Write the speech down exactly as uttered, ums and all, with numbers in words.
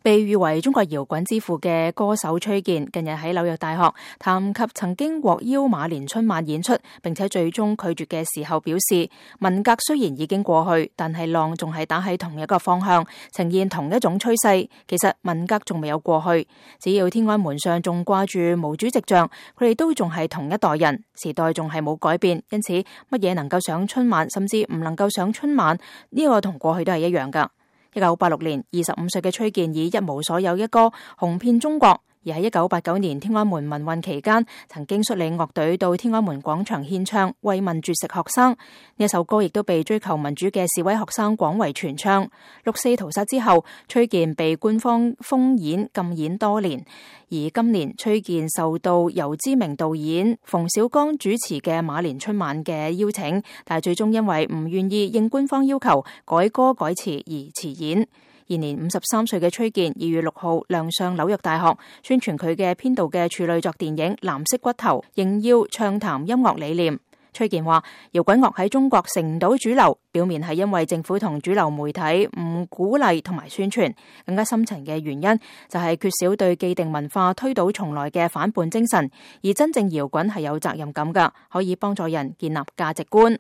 被譽為中國搖滾之父嘅歌手崔健，近日喺紐約大學談及曾經獲邀馬年春晚演出，並且最終拒絕嘅時候表示，文革雖然已經過去，但係浪仲係打喺同一個方向，呈現同一種趨勢。其實文革仲未有過去，只要天安門上仲掛住毛主席像，佢哋都仲係同一代人，時代仲係冇改變。因此，乜嘢能夠上春晚，甚至唔能夠上春晚，呢個同過去都係一樣噶。一九八六年，二十五歲嘅崔健以一無所有一歌紅遍中國，而喺一九八九年天安門民運期間，曾經率領樂隊到天安門廣場獻唱《慰問絕食學生》。呢一首歌亦都被追求民主嘅示威學生廣為傳唱。六四屠殺之後，崔健被官方封演禁演多年，而今年崔健受到由知名導演馮小剛主持嘅馬年春晚嘅邀請，但係最終因為唔願意應官方要求改歌改詞而辭演。現年五十三歲嘅崔健二月六號亮相紐約大學，宣傳佢嘅編導嘅處女作電影《藍色骨頭》，仍要暢談音樂理念。崔健話：搖滾樂喺中國成唔到主流，表面係因為政府同主流媒體唔鼓勵同埋宣傳，更加深層嘅原因就係缺少對既定文化推倒重來嘅反叛精神。而真正搖滾係有責任感㗎，可以幫助人建立價值觀。